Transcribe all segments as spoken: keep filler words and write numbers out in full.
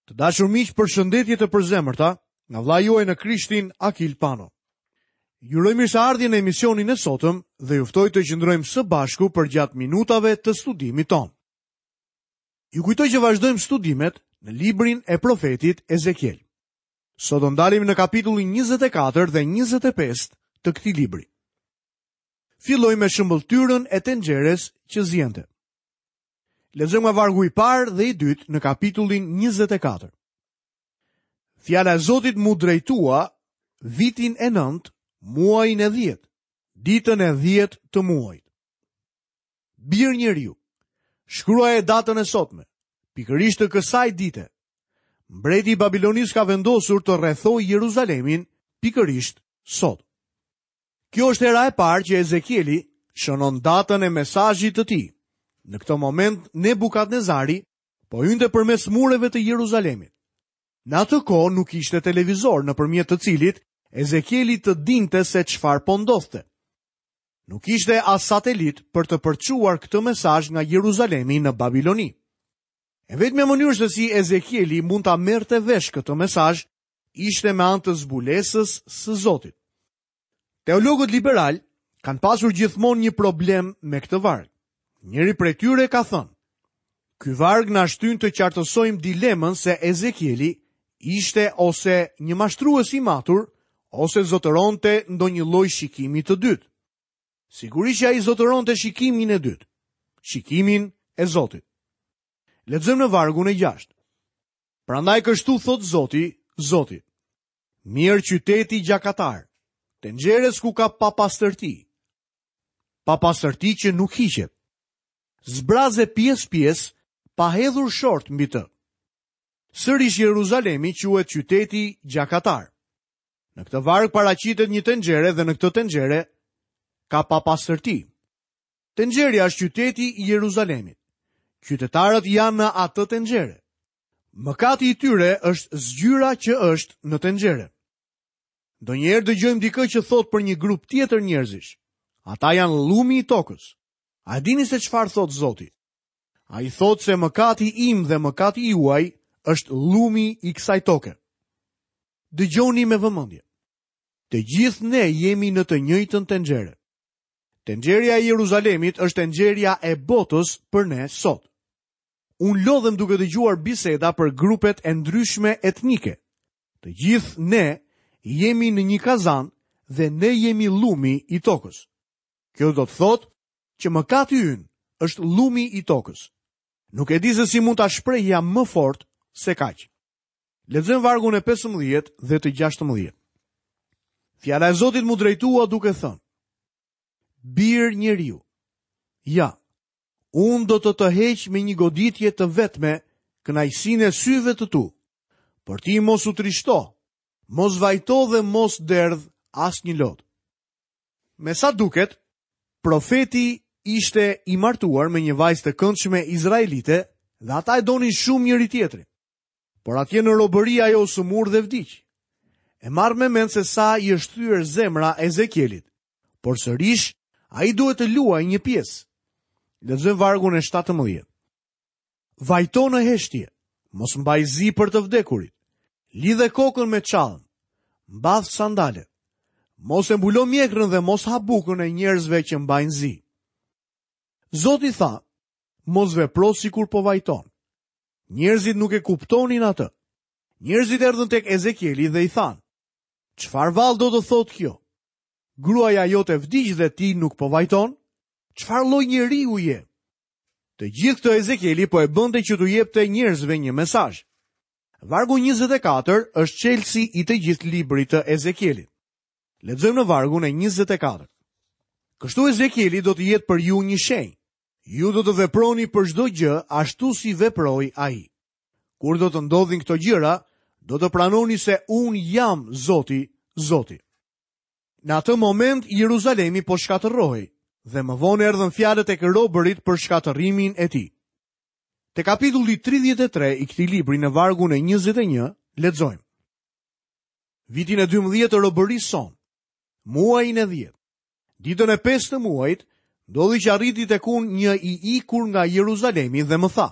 Të dashur miq, përshëndetje të përzemërta nga vëllai juaj në Krishtin Akil Pano. Ju uroj mirëseardhjen në emisionin e sotëm dhe ju ftoj të qëndrojmë së bashku përgjatë minutave të studimit tonë. Ju kujtoj që vazhdojmë studimet në librin e profetit Ezekiel. Sot do ndalemi në kapitullin njëzet e katër dhe njëzet e pesë të këtij libri. Fillojmë me shëmbëlltyrën e tenxheres që ziente. Lexojmë nga vargu i parë dhe i dytë në kapitullin njëzet e katër. Fjala e Zotit mu drejtua vitin e nëntë, muajin e dhjetë, ditën e dhjetë të muajit. Bir njeriu, shkruaje datën e sotme, pikërisht të kësaj dite. Mbreti i Babilonisë ka vendosur të rrethojë Jeruzalemin pikërisht sot. Kjo është hera e parë që Ezekieli shënon datën e mesazhit të tij. Në këtë moment, Nebukadnezari po hynte përmes mureve të Jeruzalemit. Në atë kohë nuk ishte televizor nëpërmjet të cilit Ezekieli të dinte se çfarë po ndodhte. Nuk ishte as satelit për të përçuar këtë mesazh nga Jeruzalemi në Babiloni. E vetmja mënyrë se si Ezekieli mund ta merrte vesh këtë mesazh ishte me anë të zbulesës së Zotit. Teologët liberal kanë pasur gjithmonë një problem me këtë varg. Njëri prej tyre ka thënë: Ky varg na shtyn të qartësojmë dilemën se Ezekieli ishte ose një mashtrues i matur, ose zotëronte ndonjë lloj shikimi të dytë. Sigurisht që ai zotëronte shikimin e dytë, shikimin e Zotit. Lexojmë në vargun e gjashtë. Prandaj kështu thot Zoti, Zoti: Mirë qyteti gjakatar, tenxheres ku ka papastërti, papastërti që nuk hiqet. Zbraze pjesë pjesë, pa hedhur short mbi të. Sërish Jeruzalemi quhet qyteti gjakatar. Në këtë varg paraqitet një tenxhere dhe në këtë tenxhere ka papastërti. Tenxherja është qyteti i Jeruzalemit. Qytetarët janë në atë tenxhere. Mëkati i tyre është zgjyra që është në tenxhere. Ndonjëherë dëgjojmë dikë që thotë për një grup tjetër njerëzish. Ata janë llumi i tokës. A dini se çfarë thot Zoti? Ai thot se mëkati im dhe mëkati juaj është llumi i kësaj toke. Dëgjoni me vëmendje. Të gjithë ne jemi në të njëjtën tenxhere. Tenxherja e Jeruzalemit është tenxherja e botës për ne sot. Unë lodhem duke dëgjuar biseda për grupet e ndryshme etnike. Të gjithë ne jemi në një kazan dhe ne jemi llumi i tokës. Kjo do të thotë që mëkati ynë është llumi i tokës. Nuk e di se si mund ta shprehja më fort se kaq. Lexojmë vargun e pesëmbëdhjetë dhe të gjashtëmbëdhjetë. Fjala e Zotit mu drejtua duke thënë: Bir njeriu, ja, unë do të të heq me një goditje të vetme kënaqësinë e syve të tu, por ti mos u trishto, mos vajto dhe mos derdh asnjë lot. Me sa duket, profeti ishte i martuar me një vajzë të këndshme izraelite dhe ata e donin shumë njëri tjetrin. Por atje në robëri ajo u sëmur dhe vdiq. E marr me mend se sa i është thyer zemra Ezekielit, por sërish ai duhet të luajë një pjesë. Lexojmë vargun e shtatëmbëdhjetë. Vajto në heshtje, mos mbaj zi për të vdekurit. Lidhe kokën me çallën, mbath sandalet. Mos e mbulo mjekrën dhe mos ha bukën e njerëzve që mbajnë zi. Zoti tha, mos vepro sikur po vajton. Njerëzit nuk e kuptonin atë. Njerëzit erdhën tek Ezekieli dhe i thanë: Çfarë vallë do të thotë kjo? Gruaja jote vdiq dhe ti nuk po vajton? Çfarë lloj njeriu je? Të gjithë këtë Ezekieli po e bënte që t'u jepte njerëzve një mesazh. Vargu njëzet e katër është çelësi i të gjithë librit të Ezekielit. Lexojmë në vargun e njëzet e katër. Kështu Ezekieli do të jetë për ju një shenjë. Ju do të veproni për çdo gjë ashtu si veproi ai. Kur do të ndodhin këto gjëra, do të pranoni se unë jam Zoti, Zoti. Në atë moment Jeruzalemi po shkatërrohej dhe më vonë erdhën fjalët e robërit për shkatërrimin e tij. Te kapitulli tridhjetë e tre i këtij libri në vargun e njëzet e një lexojmë. Vitin e dymbëdhjetë të robërisë sonë, muajin e dhjetë, ditën e pestë të muajit, ndodhi që arriti tek unë një i ikur nga Jeruzalemi dhe më tha: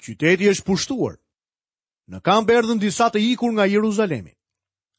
Qyteti është pushtuar. Në kamp erdhën disa të ikur nga Jeruzalemi.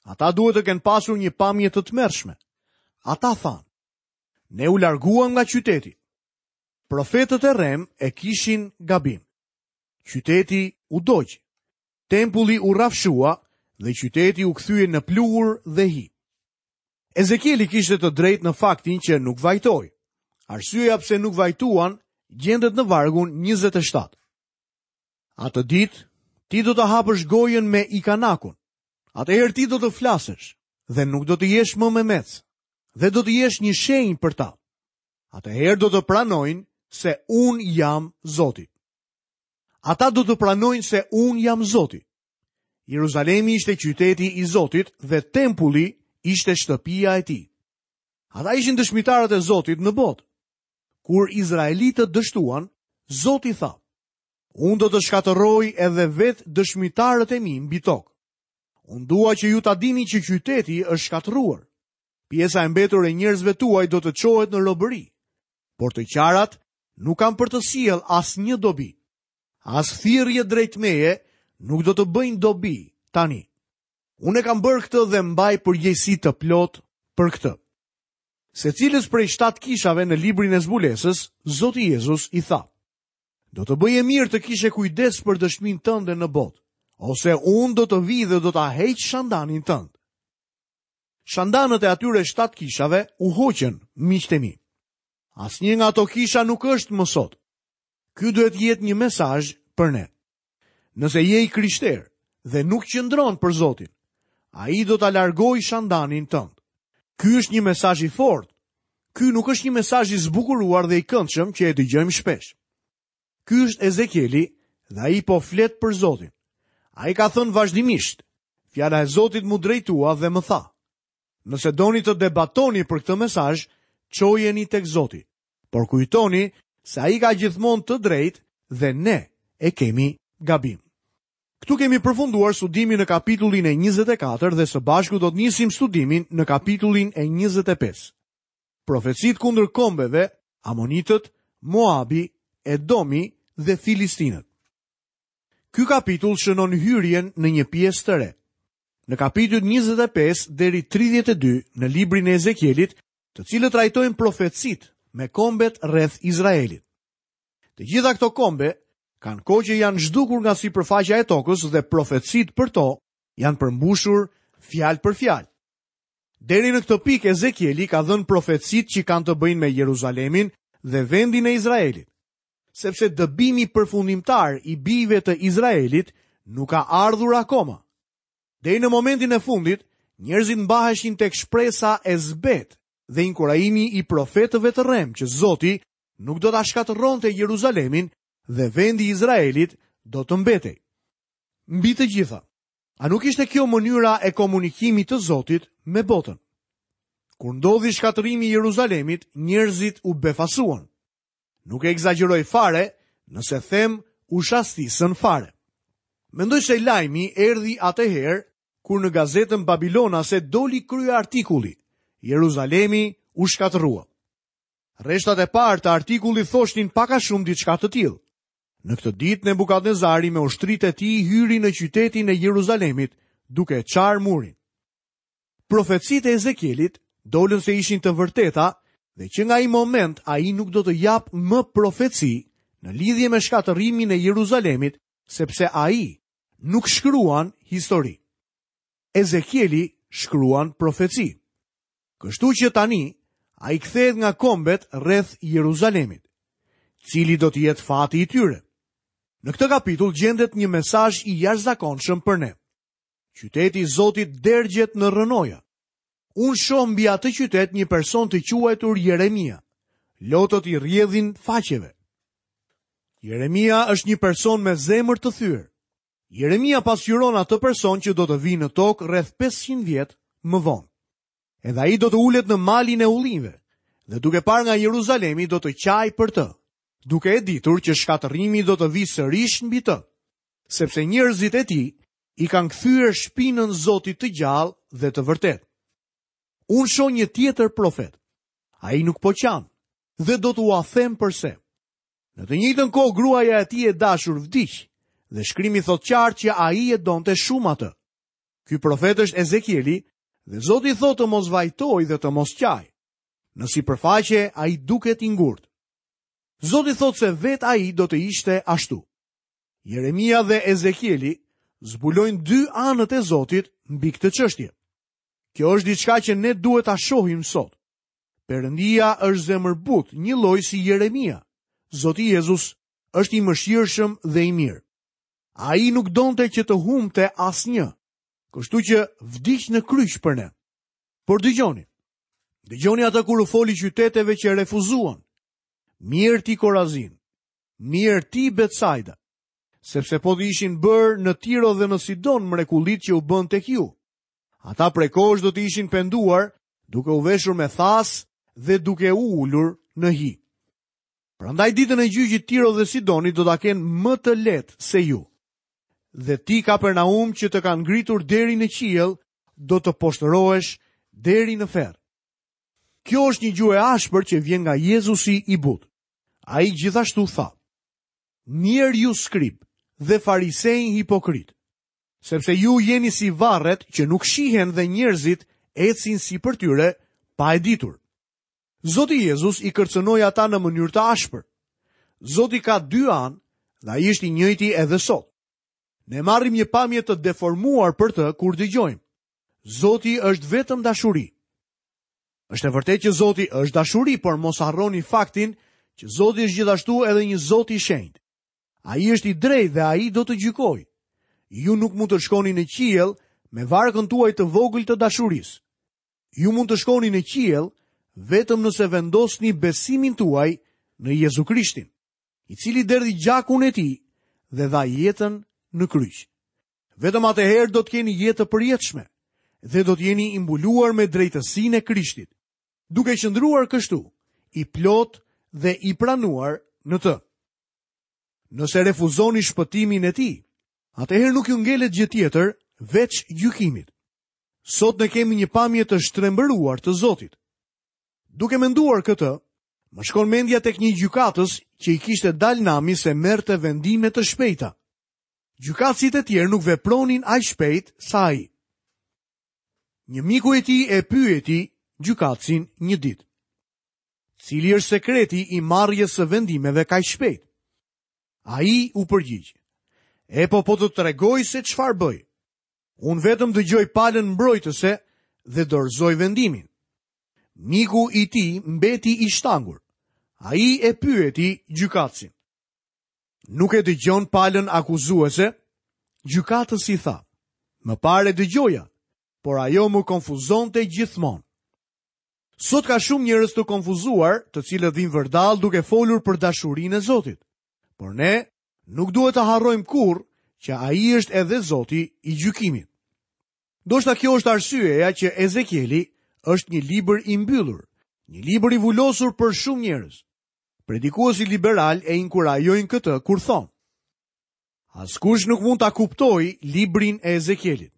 Ata duhet të kenë pasur një pamje të tmerrshme. Ata thanë: Ne u larguam nga qyteti. Profetët e rrem e kishin gabim. Qyteti u dogj. Tempulli u rrafshua dhe qyteti u kthye në pluhur dhe hi. Ezekieli kishte të drejtë në faktin që nuk vajtoi. Arsyeja pse nuk vajtuan gjendet në vargun njëzet e shtatë. Atë ditë ti do të hapësh gojën me ikanakun. Atëherë ti do të flasësh dhe nuk do të jesh më memec, dhe do të jesh një shenjë për ta. Atëherë do të pranojnë se unë jam Zoti. Ata do të pranojnë se unë jam Zoti. Jeruzalemi ishte qyteti i Zotit dhe tempulli ishte shtëpia e tij. Ata ishin dëshmitarët e Zotit në botë. Kur izraelitët dështuan, Zoti tha: Unë do të shkatërroj edhe vetë dëshmitarët e mi mbi tokë. Unë dua që ju ta dini që qyteti është shkatërruar. Pjesa e mbetur e njerëzve tuaj do të çohet në robëri, por të qarat nuk kanë për të sjell asnjë dobi. As thirrje drejt meje nuk do të bëjnë dobi tani. Unë e kam bërë këtë dhe mbaj përgjegjësi të plot për këtë. Secilës prej shtatë kishave në librin e zbulesës, Zoti Jezus i tha: Do të bëje mirë të kishe kujdes për dëshminë tënde në botë, ose unë do të vi dhe do ta heq shandanin tënd. Shandanët e atyre shtatë kishave u hoqën, miqtë e mi. Asnjë nga ato kisha nuk është më sot. Ky duhet të jetë një mesazh për ne. Nëse je i krishterë dhe nuk qëndron për Zotin, ai do ta largojë shandanin tënd. Ky është një mesazh i fortë. Ky nuk është një mesazh i zbukuruar dhe i këndshëm që e dëgjojmë shpesh. Ky është Ezekieli dhe ai po flet për Zotin. Ai ka thënë vazhdimisht: Fjala e Zotit mu drejtua dhe më tha: Nëse doni të debatoni për këtë mesazh, çojeni tek Zoti. Por kujtoni se ai ka gjithmonë të drejtë dhe ne e kemi gabim. Këtu kemi përfunduar studimin në kapitullin e njëzet e katër dhe së bashku do të nisim studimin në kapitullin e njëzet e pesë. Profecit kundër kombeve, Amonitët, Moabi, Edomi dhe Filistinët. Ky kapitull shënon hyrjen në një pjesë të re. Në kapitull njëzet e pesë deri tridhjetë e dy në librin e Ezekielit, të cilët trajtojnë profecit me kombet rreth Izraelit. Të gjitha këto kombe kanë kohë që janë zhdukur nga sipërfaqja e tokës dhe profecit për to janë përmbushur fjalë për fjalë. Deri në këtë pikë Ezekieli ka dhënë profecit që kanë të bëjnë me Jeruzalemin dhe vendin e Izraelit, sepse dëbimi përfundimtar i bijve të Izraelit nuk ka ardhur akoma. Deri në momentin e fundit, njerëzit mbaheshin tek shpresa e zbet dhe inkurajimi i profetëve të rrem që Zoti nuk do ta shkatërronte Jeruzalemin dhe vendi i Izraelit do të mbetej. Mbi të gjitha, a nuk ishte kjo mënyra e komunikimit të Zotit me botën? Kur ndodhi shkatërrimi i Jeruzalemit, njerëzit u befasuan. Nuk e ekzagjeroj fare nëse them u shastisën fare. Mendoj se lajmi erdhi atëherë kur në gazetën Babilonase doli krye artikulli Jeruzalemi u shkatërrua. Rreshtat e parë të artikullit thoshnin pak a shumë diçka të tillë. Në këtë ditë Nebukadnezari me ushtritë e tij hyri në qytetin e Jeruzalemit, duke e çarë murin. Profecitë e Ezekielit dolën se ishin të vërteta dhe që nga ai moment ai nuk do të japë më profeci në lidhje me shkatërrimin e Jeruzalemit, sepse ai nuk shkruan histori. Ezekieli shkruan profeci. Kështu që tani ai kthehet nga kombet rreth Jeruzalemit. Cili do të jetë fati i tyre? Në këtë kapitull gjendet një mesazh i jashtëzakonshëm për ne. Qyteti i Zotit dergjet në rrënoja. Unë shoh mbi atë qytet një person të quajtur Jeremia. Lotët i rrjedhin faqeve. Jeremia është një person me zemër të thyer. Jeremia pasqyron atë person që do të vijë në tokë rreth pesëqind vjet më vonë. Edhe ai do të ulet në malin e ullinjve dhe duke parë nga Jeruzalemi do të qaj për të, duke e ditur që shkatërrimi do të vijë sërish mbi të, sepse njerëzit e tij i kanë kthyer shpinën Zotit të gjallë dhe të vërtetë. Unë shoh një tjetër profet. Ai nuk po qan dhe do t'ua them përse. Në të njëjtën kohë gruaja e tij e dashur vdiq Dhe shkrimi thotë qartë që ai e donte shumë atë. Ky profet është Ezekieli dhe Zoti thotë të mos vajtojë dhe të mos qajë. Në sipërfaqe ai duket i ngurtë. Zoti thotë se vetë ai do të ishte ashtu. Jeremia dhe Ezekieli zbulojnë dy anët e Zotit mbi këtë çështje. Kjo është diçka që ne duhet ta shohim sot. Perëndia është zemërbutë, njëlloj si Jeremia. Zoti Jezus është i mëshirshëm dhe i mirë. Ai nuk donte që të humbte asnjë, kështu që vdiq në kryq për ne. Por dëgjoni. Dëgjoni atë kur u foli qyteteve që refuzuan. Mirë ti Korazin, mirë ti Betsaida, sepse po të ishin bërë në Tiro dhe në Sidon mrekullit që u bën tek ju. Ata prej kohësh do të ishin penduar, duke u veshur me thas dhe duke u ulur në hi. Prandaj ditën e gjyqit Tiro dhe Sidoni do ta kenë më të lehtë se ju. Dhe ti Kapernaum që të kanë ngritur deri në qiell, do të poshtërohesh deri në ferr. Kjo është një gjuhë e ashpër që vjen nga Jezusi i butë. Ai gjithashtu tha: Mirë ju skrib dhe farisej hipokrit, sepse ju jeni si varret që nuk shihen dhe njerëzit ecin sipër tyre pa e ditur. Zoti Jezus i kërcënoi ata në mënyrë të ashpër. Zoti ka dy anë dhe ai është i njëjti edhe sot. Ne marrim një pamje të deformuar për të kur dëgjojmë. Zoti është vetëm dashuri. Është e vërtetë që Zoti është dashuri, por mos harroni faktin që Zoti është gjithashtu edhe një Zot i shenjtë. Ai është i drejtë dhe ai do të gjykojë. Ju nuk mund të shkoni në qiell me varkën tuaj të vogël të dashurisë. Ju mund të shkoni në qiell vetëm nëse vendosni besimin tuaj në Jezu Krishtin, i cili derdhi gjakun e tij dhe dha jetën në kryq. Vetëm atëherë do të keni jetë të përjetshme dhe do të jeni i mbuluar me drejtësinë e Krishtit, duke qëndruar kështu, i plot dhe i pranuar në të. Nëse refuzoni shpëtimin e tij, atëherë nuk ju ngelet gjë tjetër veç gjykimit. Sot ne kemi një pamje të shtrembëruar të Zotit. Duke menduar këtë, më shkon mendja tek një gjykatës që i kishte dalë nami se merrte vendime të shpejta. Gjykatësit e tjerë nuk vepronin aq shpejt sa ai. Një miku i tij e pyeti gjykatësin një ditë: Cili është sekreti i marrjes së vendimeve kaq shpejt? Ai u përgjigj: E po po të tregoj se çfarë bëj. Unë vetëm dëgjoj palën mbrojtëse dhe dorëzoj vendimin. Miku i tij mbeti i shtangur. Ai e pyeti gjykatësin: Nuk e dëgjon palën akuzuese? Gjykatësi tha: Më parë e dëgjoja, por ajo më konfuzonte gjithmonë. Sot ka shumë njerëz të konfuzuar, të cilët vinë vërdall duke folur për dashurinë e Zotit. Por ne nuk duhet të harrojmë kurrë që ai është edhe Zoti i gjykimit. Ndoshta kjo është arsyeja që Ezekieli është një libër i mbyllur, një libër i vulosur për shumë njerëz. Predikuesit liberal e inkurajojnë këtë kur thonë: Askush nuk mund ta kuptojë librin e Ezekielit.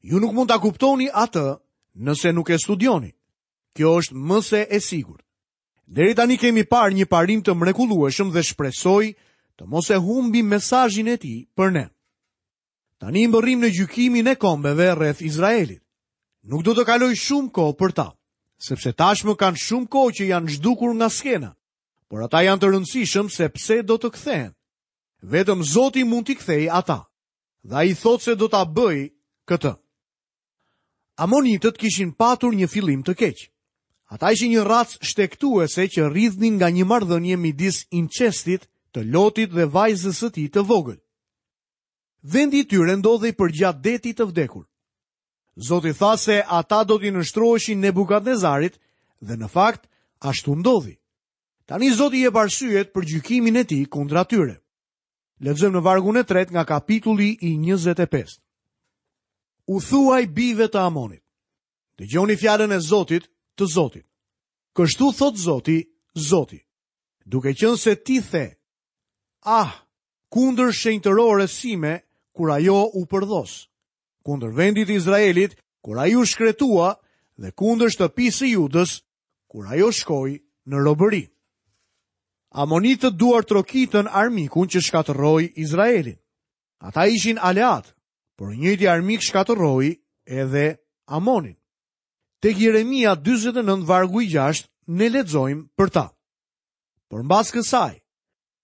Ju nuk mund ta kuptoni atë nëse nuk e studioni. Kjo është më se e sigurt. Deri tani kemi parë një parim të mrekullueshëm dhe shpresoj të mos e humbim mesazhin e tij për ne. Tani mbërrim në gjykimin e kombeve rreth Izraelit. Nuk do të kaloj shumë kohë për ta, sepse tashmë kanë shumë kohë që janë zhdukur nga skena, por ata janë të rëndësishëm sepse do të kthehen. Vetëm Zoti mund t'i kthejë ata, dhe ai thotë se do ta bëjë këtë. Amonitët kishin patur një fillim të keq. Ata ishin një racë shtektuese që rridhnin nga një marrëdhënie midis incestit të Lotit dhe vajzës së tij të vogël. Vendi i tyre ndodhej përgjatë detit të vdekur. Zoti tha se ata do t'i nënshtroheshin Nebukadnezarit dhe në fakt ashtu ndodhi. Tani Zoti jep arsyet për gjykimin e tij kundra tyre. Lexojmë në vargun e tretë nga kapitulli i njëzet e pesë. U thuaj bijve të Amonit: Dëgjoni fjalën e Zotit të Zotit. Kështu thot Zoti, Zoti, duke qenë se ti the: Ah, kundër shenjtërores sime kur ajo u përdhos, kundër vendit të Izraelit kur ai u shkretua dhe kundër shtëpisë së Judës kur ajo shkoi në robëri. Amonitët duartrokitën armikun që shkatërroi Izraelin. Ata ishin aleat, por i njëjti armik shkatërroi edhe Amonin. Tek Jeremia dyzet e nëntë vargu i gjashtë ne lexojmë për ta. Por mbas kësaj,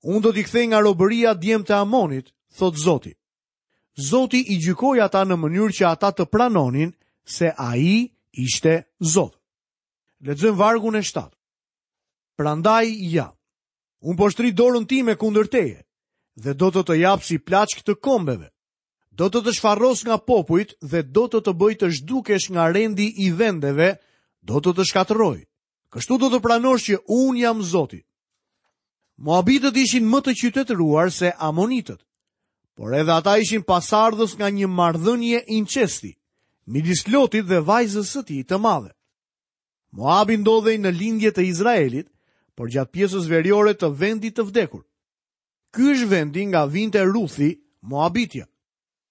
unë do t'i kthej nga robëria djemtë e Amonit, thot Zoti. Zoti i gjykoi ata në mënyrë që ata të pranonin se ai ishte Zot. Lexojmë vargun e shtatë. Prandaj ja, unë po shtri dorën time kundër teje dhe do të të jap si plaçkë të kombeve. Do të të shfarros nga popujt dhe do të të bëj të zhdukesh nga rendi i vendeve, do të të shkatërroj. Kështu do të pranosh që unë jam Zoti. Moabitët ishin më të qytetëruar se Amonitët, por edhe ata ishin pasardhës nga një marrëdhënie incesti midis Lotit dhe vajzës së tij të madhe. Moabi ndodhej në lindje të Izraelit, por gjatë pjesës veriore të vendit të vdekur. Ky është vendi nga vinte Ruthi, Moabitja.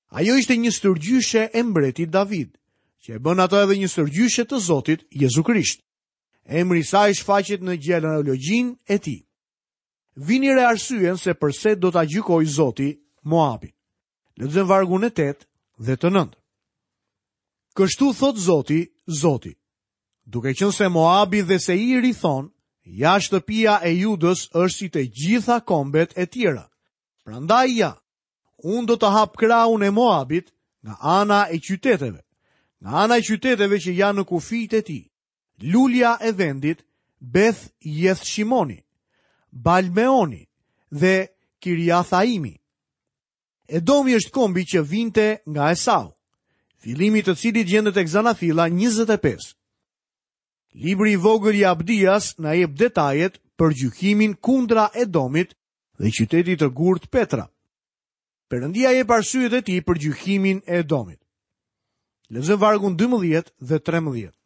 Ajo ishte një stërgjyshe e mbretit David, që e bën atë edhe një stërgjyshe të Zotit Jezu Krisht. Emri i saj shfaqet në gjenealogjinë e tij. Vini re arsyen se përse do ta gjykojë Zoti Moabin. Lexojmë vargun e tetë dhe të nëntë. Kështu thot Zoti, Zoti, duke qenë se Moabi dhe Seiri thon, ja shtëpia e Judës është si të gjitha kombet e tjera. Prandaj ja, unë do të hap krahun e Moabit nga ana e qyteteve, nga ana e qyteteve që janë në kufijtë e tij. Lulja e vendit, Beth Jethshimoni, Balmeoni dhe Kiriathaimi. Edomi është kombi që vinte nga Esau, fillimi të cilit gjendet tek Zanafilla njëzet e pesë. Libri i vogël i Abdias na jep detajet për gjykimin kundra Edomit dhe qytetit të gurt Petra. Perëndia jep arsyet e tij për gjykimin e Edomit. Lexojmë vargun dymbëdhjetë dhe trembëdhjetë.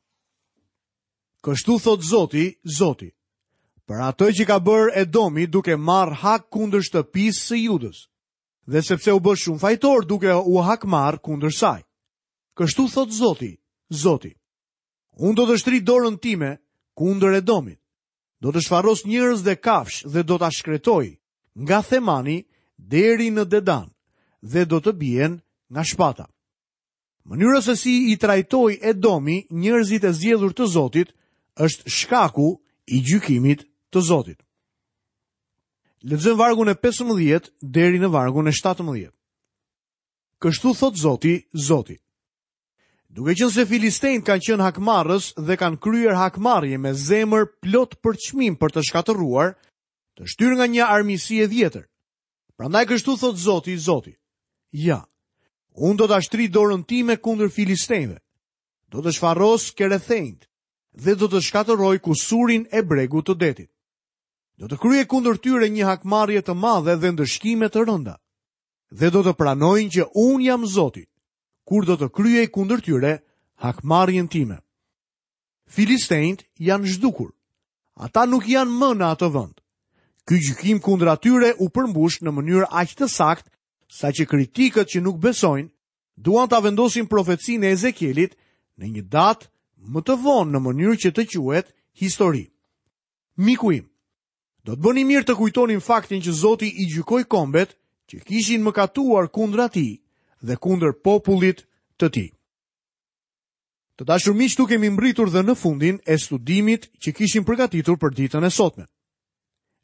Kështu thot Zoti, Zoti, për atë që ka bërë Edomi duke marrë hak kundër shtëpisë së Judës, dhe sepse u bë shumë fajtor duke u hakmarr kundër saj. Kështu thot Zoti, Zoti, unë do të shtri dorën time kundër Edomit, do të shfarros njerëz dhe kafsh dhe do ta shkretoj nga Themani deri në Dedan dhe do të bien nga shpata. Mënyra se si i trajtoi Edomi njerëzit e zgjedhur të Zotit është shkaku i gjykimit të Zotit. Lexojmë vargun e pesëmbëdhjetë deri në vargun e shtatëmbëdhjetë. Kështu thot Zoti, Zoti, duke qenë se filistejt kanë qenë hakmarrës dhe kanë kryer hakmarrje me zemër plot përçmim për të shkatërruar, të shtyrë nga një armiqësi e vjetër. Prandaj kështu thot Zoti, Zoti, ja, unë do ta shtri dorën time kundër filistejve, do të shfarros kerethenjt dhe do të shkatërroj kusurin e bregut të detit. Do të kryej kundër tyre një hakmarrje të madhe dhe ndëshkime të rënda, dhe do të pranojnë që unë jam Zoti, kur do të kryej kundër tyre hakmarrjen time. Filistejt janë zhdukur. Ata nuk janë më në atë vend. Ky gjykim kundër atyre u përmbush në mënyrë aq të saktë saqë kritikët që nuk besojnë duan ta vendosin profecinë e Ezekielit në një datë më të vonë në mënyrë që të quhet histori. Miku im, do të bëni mirë të kujtonin faktin që Zoti i gjykoi kombet që kishin mëkatuar kundra tij dhe kundër popullit të tij. Të dashur miq, këtu kemi mbritur dhe në fundin e studimit që kishim përgatitur për ditën e sotme.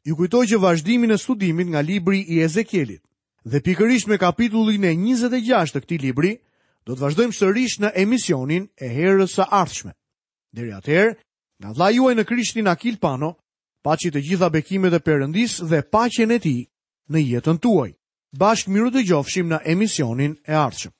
Ju kujtoj që vazhdimin e studimit nga libri i Ezekielit dhe pikërisht me kapitullin e njëzet e gjashtë të këtij libri, do të vazhdojmë sërish në emisionin e herës së ardhshme. Deri atëherë, nga vëllai juaj në Krishtin Akil Pano, paçi të gjitha bekimet e Perëndisë dhe paqen e tij në jetën tuaj. Bashkë miru dëgjofshim në emisionin e ardhshëm.